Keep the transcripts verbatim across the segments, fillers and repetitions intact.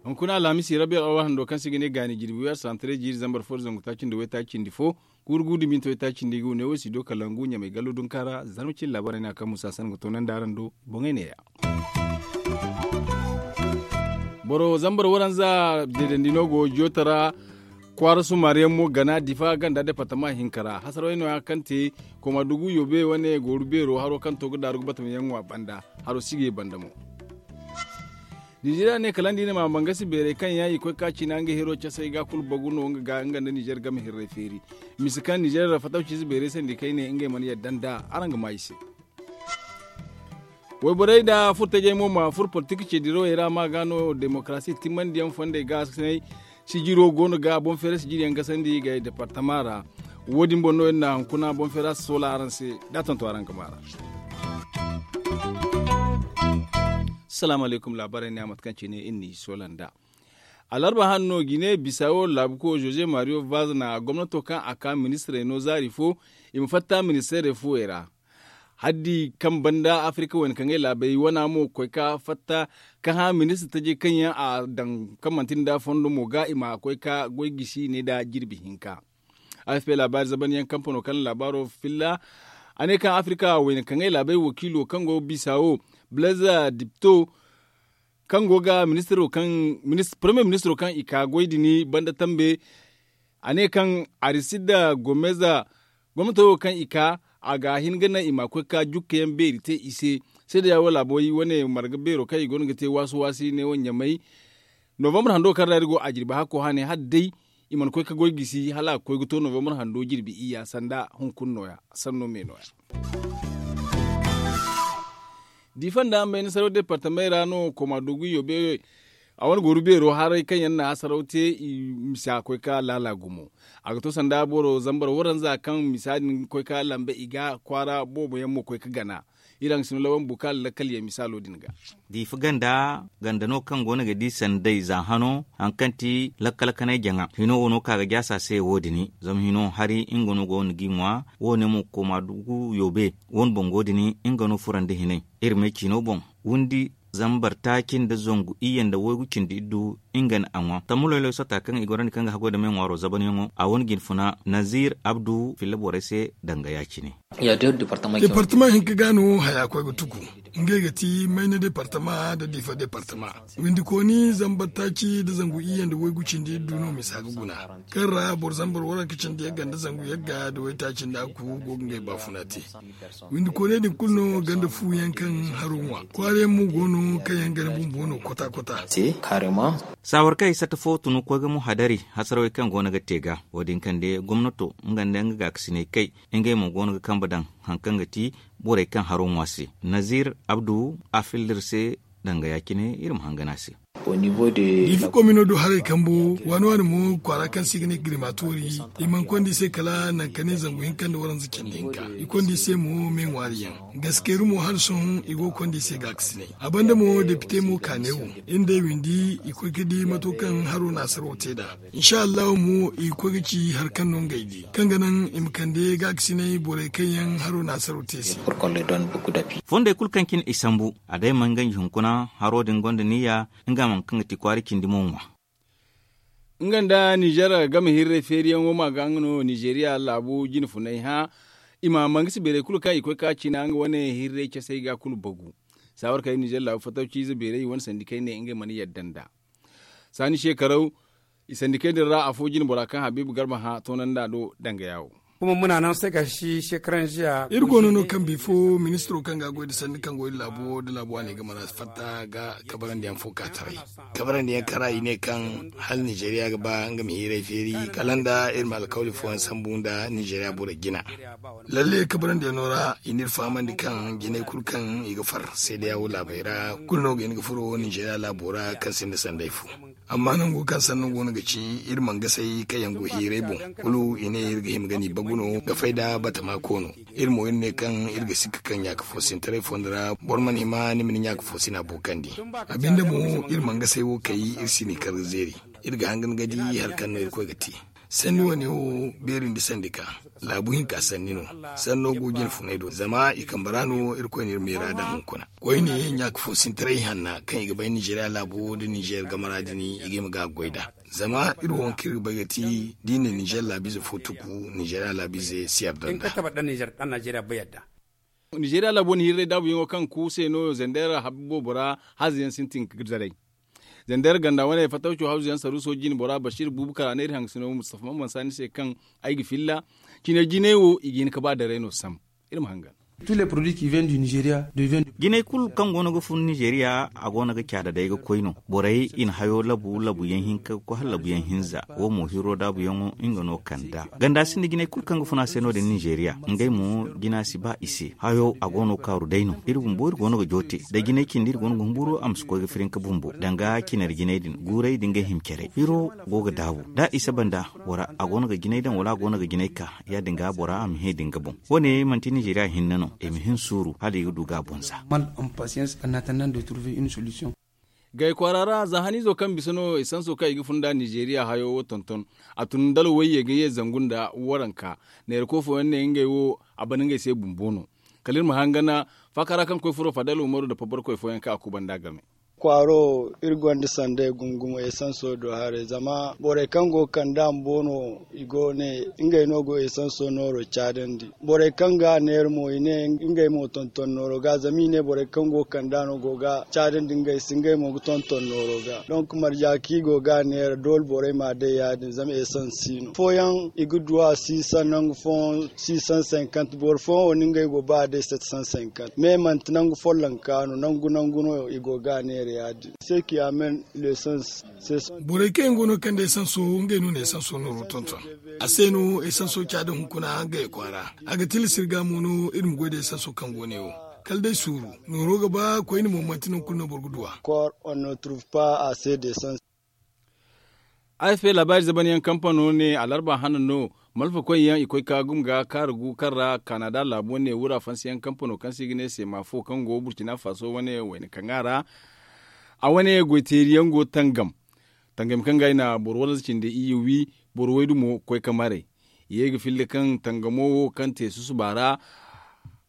Hunkuna alhamisi rabiya awa hando kaŋ se i ga ne gaani jirbi wi arsantare jiiri zambar fo da zangu taaci nda waytaaci cindi fo, kuuru guudu minti waytaaci cindi ga wane wo si do kalangu ɲamay gallo dunka ra zarma cine laabaarey no a kaŋ musa san ga toonandi araŋ do. Boŋey neeya. Boro zambar waranza deedandi no go jooto ra. Kwaara sumaari yaŋ mo gana difa ganda departama hinka ra hasarawey no- ya kaŋ te koma dugu yoobe wane gooru beero haro kaŋ to ga daaru ga batama yaŋ ŋwa banda. Haro si ga ye banda mo. Ninzeeriya ne kala nda i na ma mangasi beerey kaŋ yaŋ i koy ka ciina nga hero casey ga kulu bagu no nga ga nga nda ninzeer game hirrey feeri. Misa kaŋ ninzeer ra fatawciize beerey sandi kayne ngey mana yadda nda araŋ ga maa i se. Wayborey nda furtajey mo ma furo politik ceedirawey ra ma ga no demokarasi timmandiyaŋ fondey ga sinay. Sijiro go no ga boŋ feera sijiriyaŋ gasandi i ga departama ra. Wo- din boŋ no iri na hunkuna boŋ feera si soola araŋ se da a tonton araŋ ga maa ra. Salaamu alaykum laabaarey ne a mate kaŋ cine iri n'i soola nd'a. Alarba hanno gine bisawo laabuko jose mario vaz na gomnato kaŋ a ka ministirey no zaari fo i ma fatta ministeerey fuwey ra. Haddi kaŋ banda afirka wayna kaŋ ay laabey wana mo koy ka fatta ka hã ministir tajey kaŋ yaŋ a daŋ kaŋ manti nda fondo mo ga i ma koy ka goy gisi ne nda jirbi hinka. Afp laabaari zabanyaŋ kampano kaŋ laabaaro filla a ne kaŋ afirka wayna kaŋ ay laabey wakiilo kaŋ go bisa wo blazer dipto kaŋ go ga ministiro kaŋ premier ministiro kaŋ i ka goy din banda tambe. A ne kaŋ arisid gomeza gomnato wo kaŋ i ka a ga hin ga naŋ i ma koy ka jukkayaŋ beeri te i se. Seeda ya wo laabo i wane marga beero kaŋ i go no ga te waasu waasi ne wo ɲamay. Novambar hando kaŋ ra iri go a jirbi hakko hane hala day i mana koy ka goy gisi hala a ga koy ga to novambar hando jirbi iyya sanda hunkuna nooya sanno me nooya. Diifa nda mayna saraw departamey ra no koma dogu yoobe a wane gooru beero haray kaŋ yaŋ na saraw te i misa koy ka laala gumo. A ga to sanda boro zambar waranza kaŋ misa din koy ka lambe i ga kwaara boobo yaŋ mo koy ka gana. Iri a ga sino lawan bukaala lakkal yaŋ misaalo din ga. Diifa ganda ganda no kaŋ go no ga di sanday za hano haŋ kaŋ ti lakkal kanay jaŋa hino wo no ka ga jaasa se wo- din zama hino hari nga no go no g'i ŋwa. Wo- ne mo koma dugu yoobe wo- ne boŋ go- din nga no furandi hinay. Iri me ciino boŋ windi zambar taaci nda zangu iyye nda waygu cindi iddu nga na a ŋwa tammu loyloy sata kaŋ i gorandi kaŋ ga haggoy nda me ŋwaaro zabanyaŋo a wane jinfuna nazir abdu filla borey se danga ya- cine. Departama hinka ga no haya koy ga tuku. Ngey ga ti mayna departama nda diifa departama. Windikooni zambar taaci nda zangu iyye nda waygu cindi iddu no misa ga guna. Kaŋ ra boro zambar waranka cindi yagga nda zangu yagga nda waytaaci nda aku go ga ngey baafuna te. Windikooney din kulu no ganda fu yaŋ kaŋ haro ŋwa kwaara yaŋ mo go no kaŋ yaŋ gana bumbo no kota kota. Saawar kaŋ ay satta fo tun koy ga mo hadari hasarawey kaŋ go no ga te ga wo- din kande gomnato nga nda nga gaakasinay kay ngey mo go no ga kambe daŋ haŋ kaŋ ga ti borey kaŋ haro ŋwa se. Nazir abdu a filla iri se danga ya- cine iri ma hangan a se. Diifa komino do haray kambo waani waani mo kwaara kaŋ se i ga ne girimatori i mana konda i se kala nangu ka ne zangu hinka nda waranza cindi hinka. I konda i se mo me ŋwaari yaŋ gaskeyru mo hala sohõ i go ga konda i se gaakasinay. A banda mo depite mo ka ne wo iri nda ay windi i koy ga di mato kaŋ haro naasaraw te nd'a. Insa allahu mo i ga koy ga ci hari kaŋ no ngey di kaŋ ga naŋ i ma kande gaakasinay borey kaŋ yaŋ haro naasaraw te se. Fondey kulu kaŋ cine i sambu a day mana ganji hunkuna haro din gonda niyya. Nga mana kaŋ ga ti kwaara cindi mo ŋwa. Nga nda nizer game hirrey feeriyaŋo ma ga nga no nizeriya laabu jine funay hã. I ma mangasi beerey kulu kaŋ i koy ka ciina nga wane hirrey casey ga kulu bagu. Saawar kay nizer laabu fattaw ciize beerey i wane sandi kay ne ngey mana yadda nda saani shekaraw. I sandi kay din ra afo jine bora kaŋ habiibu garba hã toonandi a do danga yaawo. Iri go no no kaŋ bifo ministiro kaŋ ga a goy nda sanni kaŋ go iri laabo nda laabo a ne ga mana fatta ga kabarandiyaŋ fo ka taray. Kabarandiyaŋ kara i ne kaŋ hala nizeriya ga ba nga ma hiiray feeri kala nda iri ma alkawli fooyaŋ sambu nda nizeriya borey jina. Lalle kabarandiyaŋo ra i n'iri fahamandi kaŋ jinay kulu kaŋ i ga far seedeya wo laabey ra kulu no ga hin ga furo nizeriya laabo ra kaŋ sinda sanday fo. Amma nango kaŋ sanno go no ga ci iri mana gasay kaŋ yaŋ go hiiray boŋ kulu i ne iri ga hima ga ni bagu no ga fay nda batama koono. Iri mo iri ne kaŋ iri ga sikka kaŋ ɲaaka foosintaray fondo ra boro mana hima ni ma ni ɲaaka foosina bookandi. A binde mo iri mana gasay wo kay iri si ni kar ga zeeri. Iri ga hangan ga di hari kaŋ no irkoy ga te. Sanni wane wo beeri nda sandi ka laabu hinka sanni no. Sanno go jine funay do zama i kambe ra no irkoy na iri meera daŋ hunkuna. Koyne ɲaaka fo sintiray hanna kaŋ i ga bay ninzeeriya laabo nda ninzeer game ra din i ga hima ga a goy nd'a. Zama iri wo kaŋ iri ga bay ga ti da i na ninzeer laabiize fo tuku ninzeeriya laabiize si yadda nd'a. Ninzeeriya laabo na hirray daabuyaŋo kaŋ ku se no zandeer habbi boobo ra haza yaŋ sintin ga zaray. Zandeer ganda wane fatawco hawzu yaŋ saruuso jine bora basiir buubu kala neera haŋgasino mustafa maman saani se kaŋ ay ga filla. Cine jinay wo i ga hin ga ba daray no sam. Iri ma hangan. Jinay kulu kaŋ go no ga fun ninzeeriya a go no ga caada day ga koy no. Borey i na hayo labu labu yaŋ hinka ga koy hala labu yaŋ hinza. Wo mo hiro daabu yaŋo nga no kand'a ganda sinda jinay kulu kaŋ ga fun a se no- din ninzeeriya. Ngey mo jina si ba i se hayo a go no ga kaaru day no iri bumbo iri go no ga joote. Da jinay cindi iri go no ga humburu a ma si koy ga firinka bumbo danga cinari jinay din guuray da ngey hima caray hiro go ga daabu da i saba nda bora a go no ga jinay daŋ wala a go no ga jinay ka ya- din ga bora a ma hẽ da nga boŋ. Wo- ne manti ninzeeriya hinne no i ma hin suuru hala i ga du ga a boŋ za. Gay kwaara ra za haniizo kaŋ bisa no esanso kaŋ i ga fun nd'a ninzeeriya hayo wo tonton. A tun dala wayye ga ye zangu nda waranka. Neera koy fooyaŋ ne ngey wo a ban ngey se bumbo no. Kala iri ma hangan faaka ra kaŋ koy furo fadal umaru nda pabarkoy fooyaŋ kaŋ a kubanda game. Kwaaro iri gonda sanday gumo gumo esanso do haray zama borey kaŋ go ga kand'a bumbo no i go ne ngey no go esanso nooro caadandi. Borey kaŋ ga a neera mo i ne ngey mo tonton nooro ga zama i ne borey kaŋ go ga kand'a no go ga caadandi ngey se ngey mo ga tonton nooro ga donk marja kaŋ i go ga a neera doole borey ma a day ya- din zama esans si no fooyaŋ i ga du a siisaŋ nangu fooyaŋ. Siisaŋ sinkant boro fooyaŋ wo no ngey go ba a day sept cent cinquante mais manti nangu follonka no nangu nangu no i go ga a neera ya- din. Seeki amen lesans. Borey kaŋ yaŋ go no ga kande esanso ngey no na esanso nooro tonton. A se no esanso caada hunkuna ngey kwaara. A ga tilas iri ga mo no iri ma goy nda esanso kaŋ go ne wo. Kala day suuru nooro ga ba koyne mo manti nangu kulu no boro ga du a. Kor on no trouve pas a se d'esans. Afp laabaari zaban yaŋ kampano ne alarba hana no. Malfa koy yaŋ i koy ka gum ga kaaru gu kaŋ ra kanada laabo ne wura fansi yaŋ kampano kaŋ se i ga ne seema fo kaŋ go burkina faso wane wayna kaŋ a ra. A wane goyteeri yaŋ go tangam. Tangam kaŋ ga i na boro wala cindi iyye wi boro waydu mo koy ka maray. I ye ga filla kaŋ tangamo wo kaŋ te susuba ra.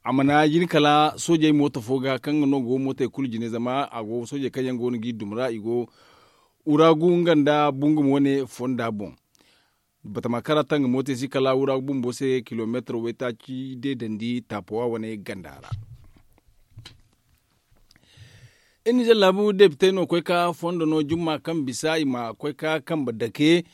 A mana jin kala soojey mooto fo ga kaŋ ga no go mootey kulu jine zama a go soojey kaŋ yaŋ go no g'i dum ra i go wuragu nga nda bungum wane fonda boŋ. Batama kaŋ ra tangamo te si kala wuragu bumbo se kilomeetar waytaaci deedandi taapowa wane ganda ra. Iri ninzeer laabu depitey no koy ka fondo no jumma kaŋ bisa i ma koy ka kambe dake.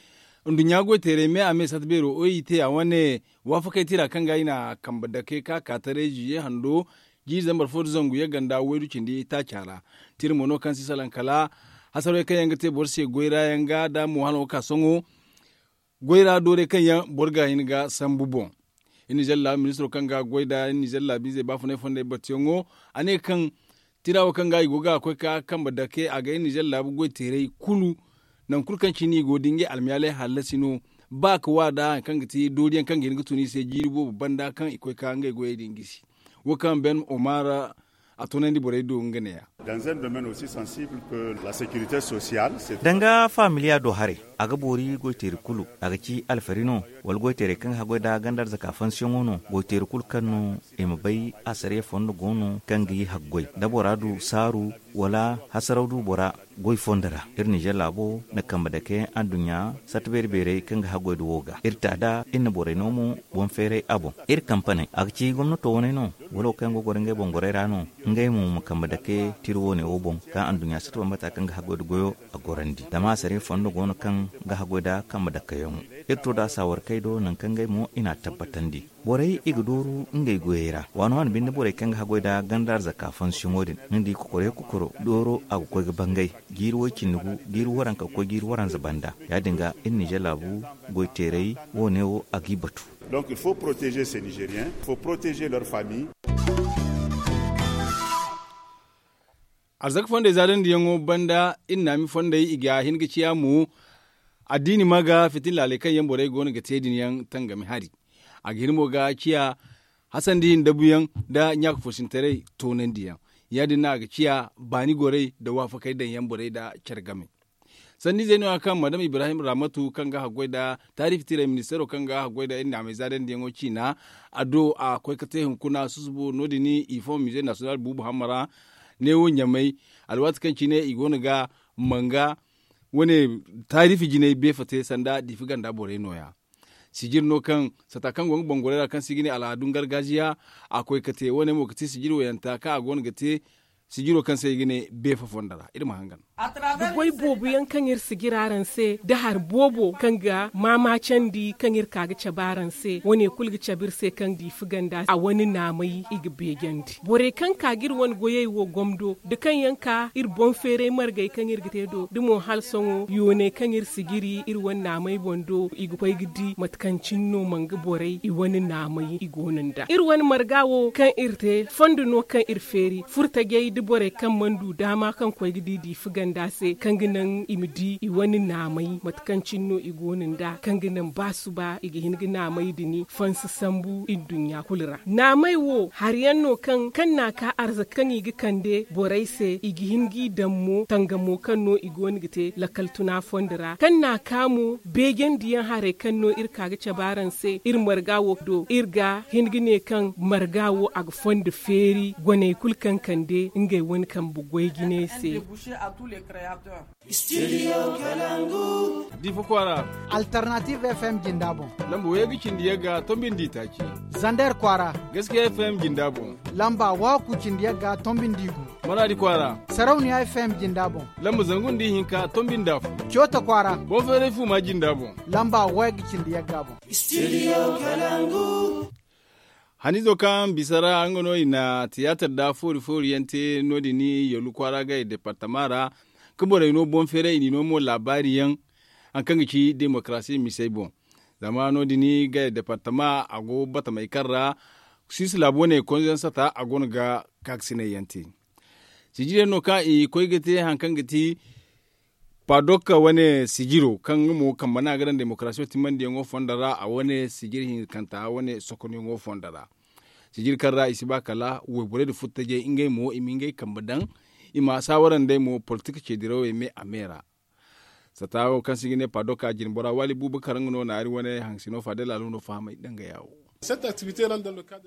Nduɲɲa goyteeray me a me sata beero oy i te a wane waafakey tira kaŋ ga i na kambe dake ka ka taray ziye hando jiiri zambar fo nda zangu yaŋ ganda waydu cindi taaca ra. Tira mo no kaŋ si salaŋ kala hasarawey kaŋ yaŋ ga te boro se goy ra yaŋ ga da mo hano ga ka sohõ. Goy ra doorey kaŋ yaŋ boro ga hin ga sambu boŋ. Iri ninzeer laabu ministiro kaŋ ga goy nda iri ninzeer laabiizey baafunay fondey battiyaŋo a ne kaŋ tira wo kaŋ ga i go ga a koy ka kambe dake a ga iri ninzeer laabu goyteerey kulu. Nangu kulu kaŋ cine i go da ngey almayaaley hallasi no ba ka wa nda hari kaŋ ga ti dooriyaŋ kaŋ ga hin ga tun i se jiiri boobo banda kaŋ i koy ka ngey goyey din gisi. Wo kaŋ ben omar a toonandi borey do nga ne- ya. Danga faamiliya do haray a ga boori goyteeri kulu a ga ci alfari no wala goyteerey kaŋ ga haggoy nda ganda arzaka fansiyaŋo no goyteeri kulu kaŋ no i ma bay asariya fondo go no kaŋ ga i haggoy da bora du saaru wala hasaraw du bora goy fondo ra. Iri ninzeer laabo na kambe dake adduɲɲa sarti beeri beerey kaŋ ga haggoy da wo ga iri ta da iri na borey no mo boŋ feeray a boŋ. Iri kampaney a ga ci gomnato waney no wala wo kaŋ yaŋ go ga goro ngey boŋ gorey ra no ngey mo ma kambe dake tira woone wo boŋ ka anduɲɲa sata bambata kaŋ ga haggoy nda goyo a gorandi zama asariya fondo go no kaŋ ga haggoy nda kambe dakeyaŋo. Iri to nda a saawarkey do nangu kaŋ ngey mo i n'a tabbatandi. Borey i ga dooru ngey goyey ra waani waani binde borey kaŋ ga haggoy nda ganda arzaka fansiyaŋo din ni di kokoroyaŋ kokoro dooro a ga koy ga bangay jiiri woy cindi gu jiiri waranka ga koy jiiri waranza banda. Ya- din ga iri ninzeer laabu goyteeray woone wo a g'i batu. Donc il faut protéger ces nigeriens il faut protéger leur famille. Arzaka fondey zaadandiyaŋo banda iri naami fondey i ga hin ga ciya mo. Addiini ma ga fitin laaley kaŋ yaŋ borey go no ga te din yaŋ tangami hari. A ga hin mo ga ciya hasandi ndabuyaŋ nda ɲaaka foosintaray toonandiyaŋ. Ya- din no a ga ciya baani gorey nda waafakey daŋ yaŋ borey nda care game. Sanniizey no- ya kaŋ madam ibrahim ramatu kaŋ ga haggoy nda taarifi tiray ministeero kaŋ ga haggoy nda iri naamay zaadandiyaŋo ciina. A do a koy ga te hunkuna susubo no- din i fo mize nasiyonal buubu hamma ra neewo ɲamay. Alwaati kaŋ cine i go no ga manga wane taarifi jinay beefa te sanda diifi ganda borey no- ya. Sijir no kaŋ sata kaŋ go nga bangorey ra kaŋ se i ga ne al'aadun gargajiya a koy ga te wane mo ga ti sijir wayanta kaŋ a go no ga te sijiro kaŋ se i ga ne beefa fondo ra iri ma hangan. Da goy boobo yaŋ kaŋ iri si jira araŋ se da hari boobo kaŋ ga maamaacandi kaŋ iri ka ga cabe araŋ se wane kulu ga cabe iri se kaŋ diifi ganda a wane naamay i ga beejandi borey kaŋ ka ga iri wane goyey wo gomdo da kaŋ yaŋ ka iri boŋ feeray margey kaŋ iri ga te do da mo hala sohõ yooney kaŋ iri si jiri iri wane naamay boŋ do i ga koy ga di mate kaŋ cine no manga borey i wane naamay i go no nd'a iri wane marga wo kaŋ iri te fondo no kaŋ iri feeri furtajey da borey kaŋ mana du daama kaŋ koy ga di diifi ganda se kaŋ ga naŋ i ma di i wane naamay mate kaŋ cine no i go no nd'a kaŋ ga naŋ ba suba i ga hin ga naamay din fansi sambu nduɲɲa kulu ra naamay wo hari yaŋ no kaŋ kaŋ n'a ka arzaka kaŋ i ga kande borey se i ga hin g'i daŋ mo tangamo kaŋ no i go no ga te lakkal tuna fondo ra kaŋ n'a ka mo beejandiyaŋ haray kaŋ no iri ka ga cabe araŋ se iri marga wo do iri ga hin ga ne kaŋ marga wo a ga fondo feeri goney kulu kaŋ kande ngey wane kambe goy jinay se. Diifa kwaara. Alternative f m jinda boŋ. Lamba wayey ga cindi yagga tombi nda itaaci. Zander kwaara. Gaskiya f m jinda boŋ. Lamba waaku cindi yagga tombi nda igu. Maraadi kwaara. Sarauniya f m jinda boŋ. Lamba zangu nda ihinka tombi nda afo. Coota kwaara. Boŋ feeray fuuma jinda boŋ. Lamba wayey ga cindi yagga boŋ. Haniizo kaŋ bisa ra nga no i na tiyaatar da foori foori yaŋ te no- din yallu kwaara ga i departama ra ka borey no boŋ feeray i n'i no mo laabaari yaŋ. Hari kaŋ ga ci demokarasi misey boŋ zama no- din ga i departama a go batamey kaŋ ra suwis laabu wane konzaŋ sata a go no ga kaakasinay yaŋ te. Sijir yaŋ no kaŋ i koy ga te hari kaŋ ga ti padok wane sijiro kaŋ nga mo kambe no a ga daŋ demokarasiyo timandiyaŋo fondo ra a wane sijir hinkanta wane sokonyaŋo fondo ra. Sijir kaŋ ra i si ba kala wayborey nda furtajey ngey mo i ma ngey kambe daŋ i ma saawara nd'ey mo politik ceedirawey me a me ra. Sata wo kaŋ se i ga ne padok a jinbora waali buuba karaŋ no naari wane haŋsino faadey laalo no fahamay dangaya wo.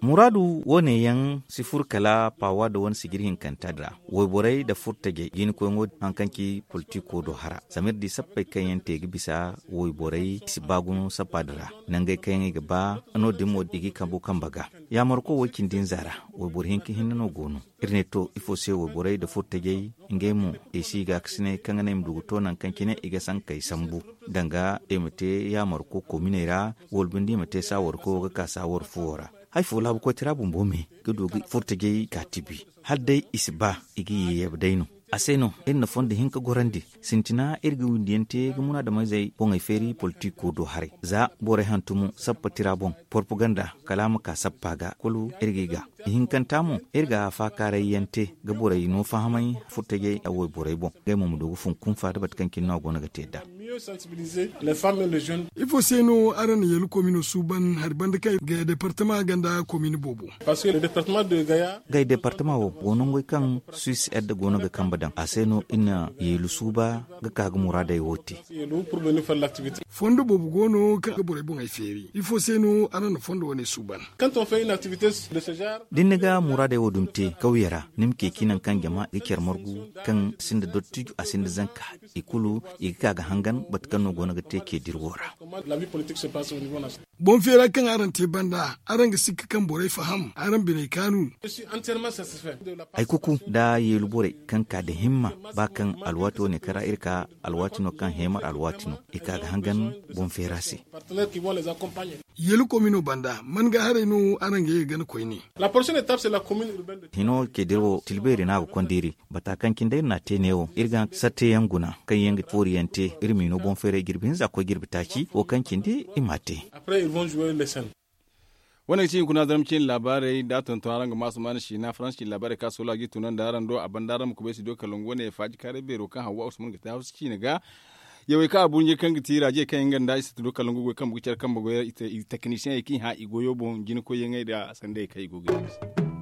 Muraadu wo- ne yaŋ si fur kala pawa da wane sijir hinkanta din ra. Wayborey nda furtajey jiinikoyaŋo din hari kaŋ ci politiko do hara zama iri di sappey kaŋ yaŋ te ga bisa wayborey i si ba guno sappa din ra. Nangey kaŋ yaŋ i ga ba no- din mo i g'i kambu kambe ga. Yaamarko wo- cindi nza ra wayboro hinka hinne no go no. Iri ne to ifo se wayborey nda furtajey ngey mo i si i gaakasinay kaŋ ga naŋ i ma du ga to nangu kaŋ cine i ga sankey sambu danga i ma te yaamarko kominey ra wala binde i ma te saawarko ga ka saawar fuwo ra. Hari fo laabu koytara bumbo me ga du ga furtajey ka tibi hala day i si ba i ga yeeyabe day no. A se no iri na fondo hinka gorandi sintina iri ga windiyaŋ te ga munaadamizey boŋey feeri politiko do haray za borey hantumo sappa tira boŋ porpaganda kala a ma ka sappa ga kulu iri g'i ga. Ihinkanta mo iri ga faakaaray yaŋ te ga borey no fahamay furtajey a wayborey boŋ ngey mo ma du ga fun kunfa da mate kaŋ cine no a go no ga te nd'a. Ifo se no araŋ na yeelu komino suuban hari banda kaŋ ga departama ganda komini boobo? Gay departama wo go nangey kaŋ suis ed go no ga kambe daŋ a se no iri na yeelu suuba ga ka ga muraadey wo te. Fondo boobo go no kaŋ ga borey boŋey feeri ifo se no araŋ na fondo wane suuban? Da ni ga muraadey wo dumi te kawye ra ni ma ceeci nangu kaŋ jama ga care margu kaŋ sinda dottijo a sinda zanka i kulu i ga ka ga hangan bate kaŋ no go no ga te ceediri wo ra. Boŋ feera kaŋ araŋ te banda araŋ ga sikka kaŋ borey faham araŋ biney kaanu? Ay kuku nda yeelu borey kaŋ ka nda himma ba kaŋ alwaati wane kaŋ ra iri ka alwaati no kaŋ heemar alwaati no i ka ga hangan boŋ feera se. Yeelu komino banda man ga haray no araŋ ga ye ga gana koyne? Hino ceediri wo tilbeeri no a ga konda iri bata kaŋ cine day iri n'a te neewo iri ga satte yaŋ guna kaŋ yaŋ ga foori yaŋ te iri m'i no boŋ feeray jirbi hinza koy jirbi taaci wo kaŋ cindi i m'a te. Wane ga ci hunkuna zarma ciine laabaarey da a tonton araŋ ga ma asumaana siina faransa ciine laabaarey kaŋ a soola ga i tunandi araŋ do a banda araŋ ma kubay studio kalangu wane faaji kaaray beero kaŋ hawwa usman ga te hawsa ciine ga. Yawey kaŋ a burɲe kaŋ ga ti raajey kaŋ yaŋ ga nda i si studio kalangu goy kaŋ bugu care kaŋ bugu teknisiyeŋey kaŋ i hã i goyo boŋ jina koyyaŋey nda sandey kaŋ i go ga i se.